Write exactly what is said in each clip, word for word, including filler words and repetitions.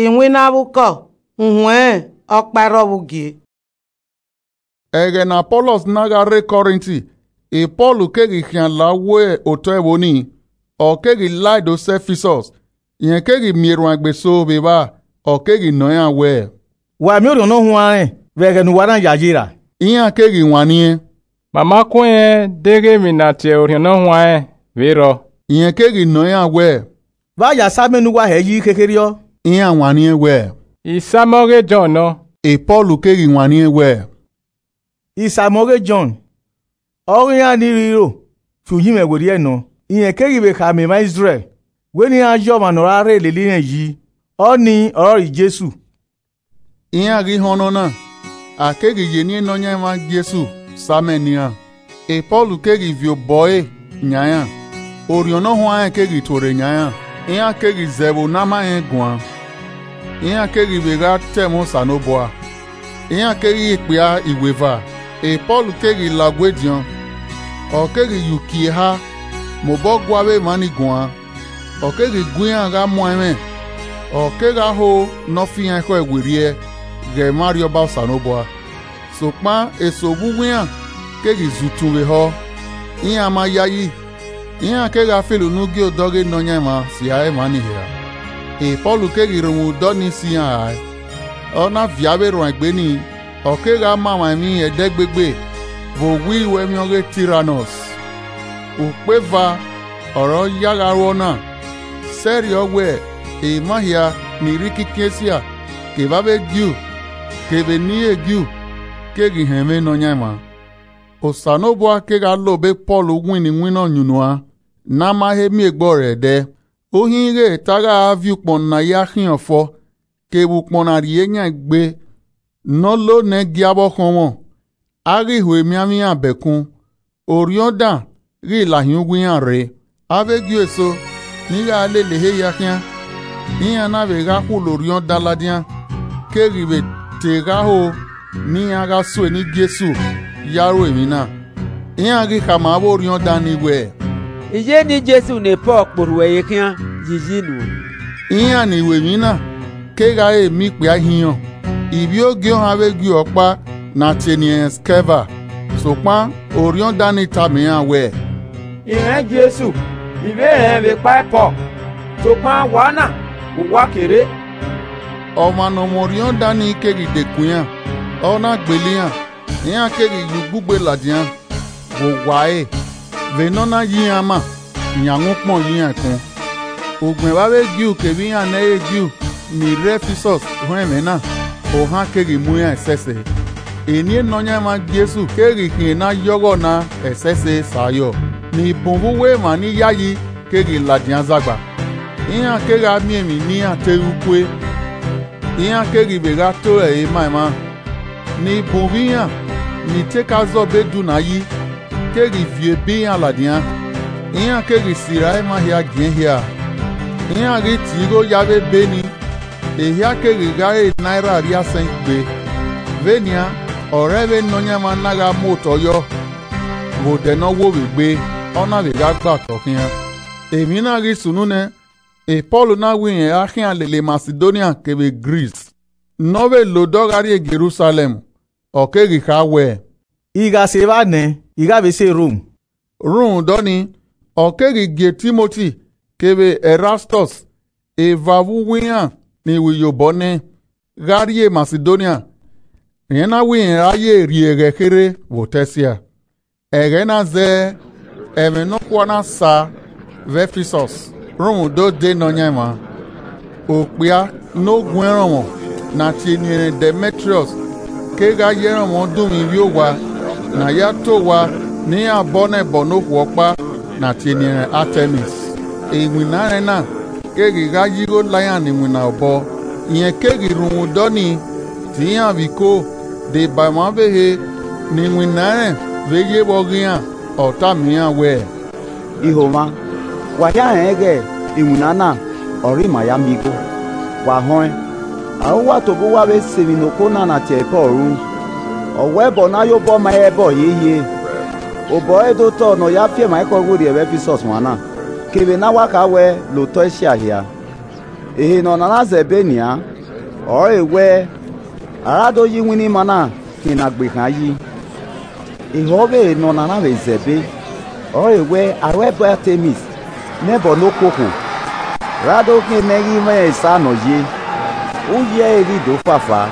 Iwinna vbe ukọ, uhunmwu ẹnrẹn ọkpa i rrọọ vbe ugie. Ẹghẹ ne Apọlọs na gha rre Kọrinti, e Pọl keghi khian la uwu otọ ẹvbo nii, ọ keghi lae do sẹ Ẹfisọs. Rẹn keghi miẹn erhuanegbe eso vbe evba, ọ keghi nọ iran wẹẹ, Wa miẹn Orhiọn Ne Ọ Huanrẹn vbe ẹghẹ ne uwa na yayi ra? Iran keghi wanniẹn, Ma ma ku ẹn deghẹ emwi ne a tie Orhiọn Ne Ọ Huanrẹn vbe rrọọ. Rẹn keghi nọ iran wẹẹ, Vbe a ya sa amẹ ne uwa hẹ yi khekherriọ? Iran wanniẹn wẹẹ, Isam ọghe Jọn nọ. E Pọl keghi wanniẹn wẹẹ, Isam ọghe Jọn, ọghe iran ni rhiro fi uyinmwẹ werriẹ nọ. Rẹn keghi vbe khama emwa Izrẹl wẹ ne iran ya ọmwa ne ọ ra rre lele irẹn yi, ọnii ọrọre Jesu. Iran ghi họn nọ na, a keghi ye eni Nọyaẹnmwa Jesu sa amẹ ne iran. E Pọl keghi viọ obọ ẹre yan iran, Orhiọn Ne Ọ Huanrẹn keghi tuorre yan iran, iran keghi zẹ ẹvbo ne a ma rẹn guan, iran keghi vbe gha ta ẹmwẹ Osanobua, iran keghi re ikpia iweva. E Pọl keghi la ogu ediọn, ọ keghi ye uki eha mobọ gua avbe emwa ni guan, ọ keghi gu iran gha muan ẹmwẹ, ọ kegha ho ne ọ fi iran ekhọe werriẹ ghẹ emwa Arriọba Osanobua. Sokpan eso vbe uwu iran keghi zẹ utu vbe ehọ, iran ma yayi, iran kegha filo ne u gie odọ ghe Nọyaẹnmwa sẹ a re emwa ni hia. E Pọl keghi rhunmwuda ọnii si iran rae, ọ na viọ avbe erhuanegbe nii, ọ kegha ma emwa emwi ẹdẹgbegbe vbe owa iruẹmwi ọghe Tiranọs. Ukpeva ọre ọ ya gha ru ọna, sẹrriọ wẹ emwa hia ni rre ikikin Esia, kevbe avbe Ju kevbe eni i re Ju, keghi họn ẹmwẹ Nọyaẹnmwa. Osanobua kegha la obọ Pọl winna iwinna ọyunnuan ne a ma he miẹn egbe ọre ẹdẹ. Uhin ighẹ ta gha viọ ukpọn ne a ya khian fọ, kevbe ukpọn ne a rhie yan egbe, ne ọ lo nẹ gia vbe ọkhọnmwọ, a ghi ho emianmwẹ iran bẹkun, orhiọn dan ghi la hin uwu iran rre. Avbe Ju eso ni gha lele ehe hia khian, iran na vbe gha khulo orhiọn dan ladian, keghi vbe te gha ho ne iran gha sue ne Jesu ya ru emwi na. Iran ghi khama avbe orhiọn dan ni wẹẹ, I ye ne Jesu ne Pọl kporhu ẹre khian yi yi nuẹn. Iran ni ru emwi na kegha re emi ikpia ihiọn. Ivbi ogie ọhan avbe Ju ọkpa na tie eni ẹnrẹn Skeva, sokpan orhiọn dan ni tama iran wẹẹ, I mwẹ Jesu, I vbe rẹn vbe ekpa Pọl, sokpan wa na vbe uwa kere. Ọmwa ne ọ mwẹ orhiọn dan ni keghi dekun iran, ọ na gbele iran, iran keghi ye ugbugbe ladian vbe owa ẹre, vbene ọ na ya iran ama, yan mwẹ ukpọn ye iran ẹkun. Ugbẹn vbe avbe Ju kevbe iran ne ẹ i re Ju ni rre Ẹfisọs họn ẹmwẹ na, ohan keghi mu iran ẹsẹse. Eni Nọyaẹnmwa Jesu keghi khian ne a ya ọghọ na ẹsẹse sa yọ, ni bun vbe uwu emwa ni yayi keghi ladian zagba. Iran kegha miẹn emwi ne iran te ru kue, iran keghi vbe gha toro ẹre ma emwa, ni bun vbe iran ni te ka zọ be du na yi keghi viọ ebe iran ladian, iran keghi sirra emwa hia giẹn hia. Iran ghi tie igho ye avbe ebe ni, ehia keghi gha re naira erriasẹn igbe. Vbenian ọre vbe Nọyaẹnmwa na gha mu otọ yọ vbe odẹ ne ọ wo vbe egbe, ọ na vbe gha gba otọ khian. Emwi na ghi sunu nẹ, e Pọl na winna a khian lele Masidonia kevbe Gris. Ne ọ vbe la odọ gha rrie Jerusalẹm, ọ keghi kha wẹẹ, I gha sẹ evba nẹ, I gha vbe sẹ Rom. Rhunmwuda ọnii, ọ keghi gie Timoti kevbe Ẹrastọs, eva vbe uwu iran ni ru iyobọ nẹ, gha rrie Masidonia, rẹn na winna a ye rri ẹghẹ kherhe vbe otọ Ẹsia. Ẹghẹ na zẹẹ, ẹmwẹ nọkhua na sa vbe Ẹfisọs rhunmwuda ode Nọyaẹnmwa. Okpia ne ogu erọnmwọ ne a tie eni ẹnrẹn Dẹmẹtriọs kegha ya erọnmwọ dunmwu ivbi owa ne a ya ta owa ne iran bọ nẹ ẹbọ ne okhuo ọkpa ne a tie eni ẹnrẹn Atẹmis. Iwinna ẹnrẹn na keghi gha ya igho la iran ne iwinna obọ. Rẹn keghi rhunmwuda ọnii tie iran vbe iko, deba emwa ọvbehe ne iwinna ẹnrẹn vbe ye vbe ọghe iran, ọ tama iran wẹẹ, I ho mwa, wa hia rẹn ighẹ iwinna na ọre ima ya miẹn igho, wa họẹn, a ru uwa tobọ uwa vbe sẹ emwi ne okhuo na ne a tie ẹre Pọl ru. Ọ wẹ ẹbọ ne a ya obọ ma ẹre ẹbọ hiehiere, obọ ẹre do tọ ne ọ ya fi ẹmwẹ ekhọe werriẹ vbe Ẹfisọs mwa na, kevbe ne a wa kha wẹ la otọ Esia hia. Ehe ne ọ na na zẹbe nian, ọrọre wẹẹ, a ra do ya iwinna ima na khian ne a gbe khan yi. Ehọ vbe ehe ne ọ na na vbe zẹbe, ọrọre wẹẹ, aro ẹbọ Atemis ne ẹbọ ne okhuokhuo, ra do khian mẹ ghi mwẹ esa ne ọ ye. Uyi ẹre ghi do fafa,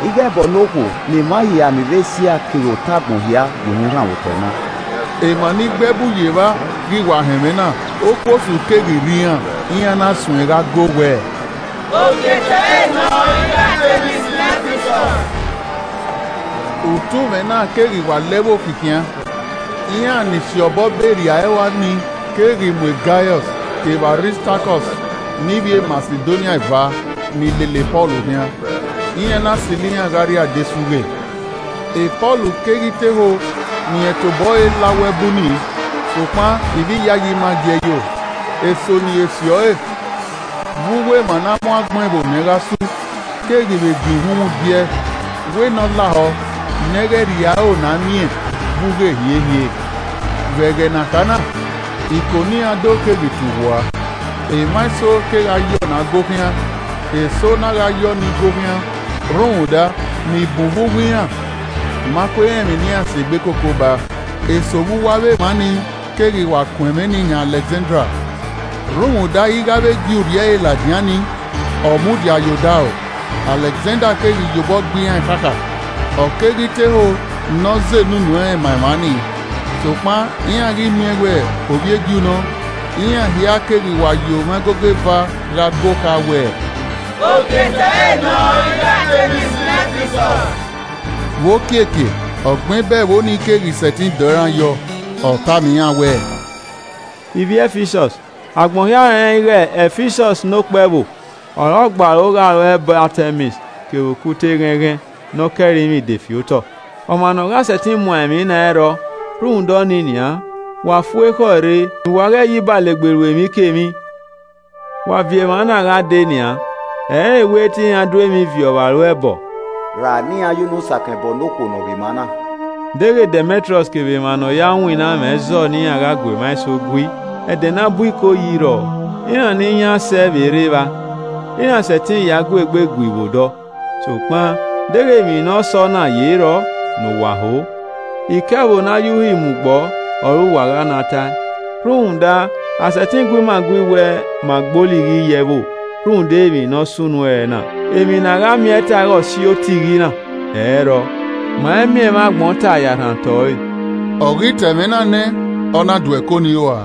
ighẹ ẹbọ ne okhuo ne emwa hia ni rre Esia kevbe otagbọn hia ye uhunmwu rhan vbe otọ na. Emwa ni gbe ẹbu ye evba ghi wa họn ẹmwẹ na, okhuo osu keghi rre iran, iran na suẹn gha go wẹẹ, Ogiẹtẹrhe nọ, ighẹ Atemis ne Ẹfisọs. Utunmwẹ na keghi wa lẹ vbe okhian, iran ni si obọ be rria ẹe ua nii keghi mu Gaiọs kevbe Aristakọs ne ivbi e Masidonia eva ni lele Pọl khian, iran na silo iran gha rrie adesu ghe. Pọl keghi te ho ni irẹn tobọ ẹre la wu ẹbu nii, sokpan ivbi iyayi ma gie yo. Eso ni e si ọre vbe uwu emwa na mu agbọn ẹvbo nẹ gha su, keghi vbe gie uhunmwu gie, wẹ ne ọ lahọ ne ẹghẹ rhie aro na miẹn vbe ughe hiehie. Vbe ẹghẹ ne a kha na, iko ne iran do keghi tu vua, emwa eso kegha ye ọna go khian, eso na gha ye ọnii go khian, rhunmwuda ni bun vbe uwu iran, ma kue rẹn emwi ne iran si egbe koko ba. Eso vbe uwu avbe emwa nii keghi wa kun ẹmwẹ nii yan Alẹkzanda, rhunmwuda ighe avbe Ju rhie ẹre ladian nii, ọ mudia ye odaro. Alẹkzanda keghi ye obọ gbe iran khakha, ọ keghi te ho ne ọ zẹ enu nuẹn ma emwa nii. Sokpan iran ghi miẹn wẹẹ ovbi e Ju nọ, iran hia keghi wa ye omwa igogo eva gha go kha wẹẹ, Ogiẹtẹrhe nọ, ighẹ Atemis ne Ẹfisọs. Vbe okiekie, ọgbẹn bẹghe ẹvbo nii keghi sẹtin dọọ iran yọ, ọ tama iran wẹẹ, Ivbi Ẹfisọs, agbọn hia rẹnrẹn ighẹ Ẹfisọs ne okpẹvbo, ọre ọ gbe aro gha ru ẹbọ Atemis kevbe okhuta eghẹnghẹn ne ọ kẹre imwi de fi otọ. Ọmwa ne ọ gha sẹtin muan emwi na i rrọọ, rhunmwuda ọnii nian, wa fu ekhọe rre ne uwa ghẹ ye ibalegbe ru emwikemwi. Wa viọ emwa na gha dee nian, ẹ i re wẹẹ te iran du emwi viọ vbe aro ẹbọ. Ra ne iran ya unu sakan ẹbọ ne okhuo ne ọ vbe emwa na. Deghẹ Dẹmẹtriọs kevbe emwa ne ọ ya winna mwẹ zọọ ne iran gha gu emwa eso gui, ẹdẹ ne a bu iko yi rrọọ, iran ne iran sẹ vbe rre evba, iran sẹtin ya gu egbe gui vbe odọ. Sokpan deghẹ emwi ne ọ sọ na ye rrọọ ne uwa ho, ikẹvbo ne a ya uhi mu gbọ ọre uwa gha na tae. Rhunmwuda, a sẹtin gu ima gui wẹẹ ma gbe olighi ye ẹvbo rhunmwuda emwi ne ọ sunu ẹre na. Emwi ne a gha miẹn ta ighẹ ọ si ota ighi na, ẹ i rrọọ, ma i miẹn emwa agbọn ta ya rhan otọ ẹre. Ọ ghi ta ẹmwẹ na nẹ, ọ na du ẹko nii ua.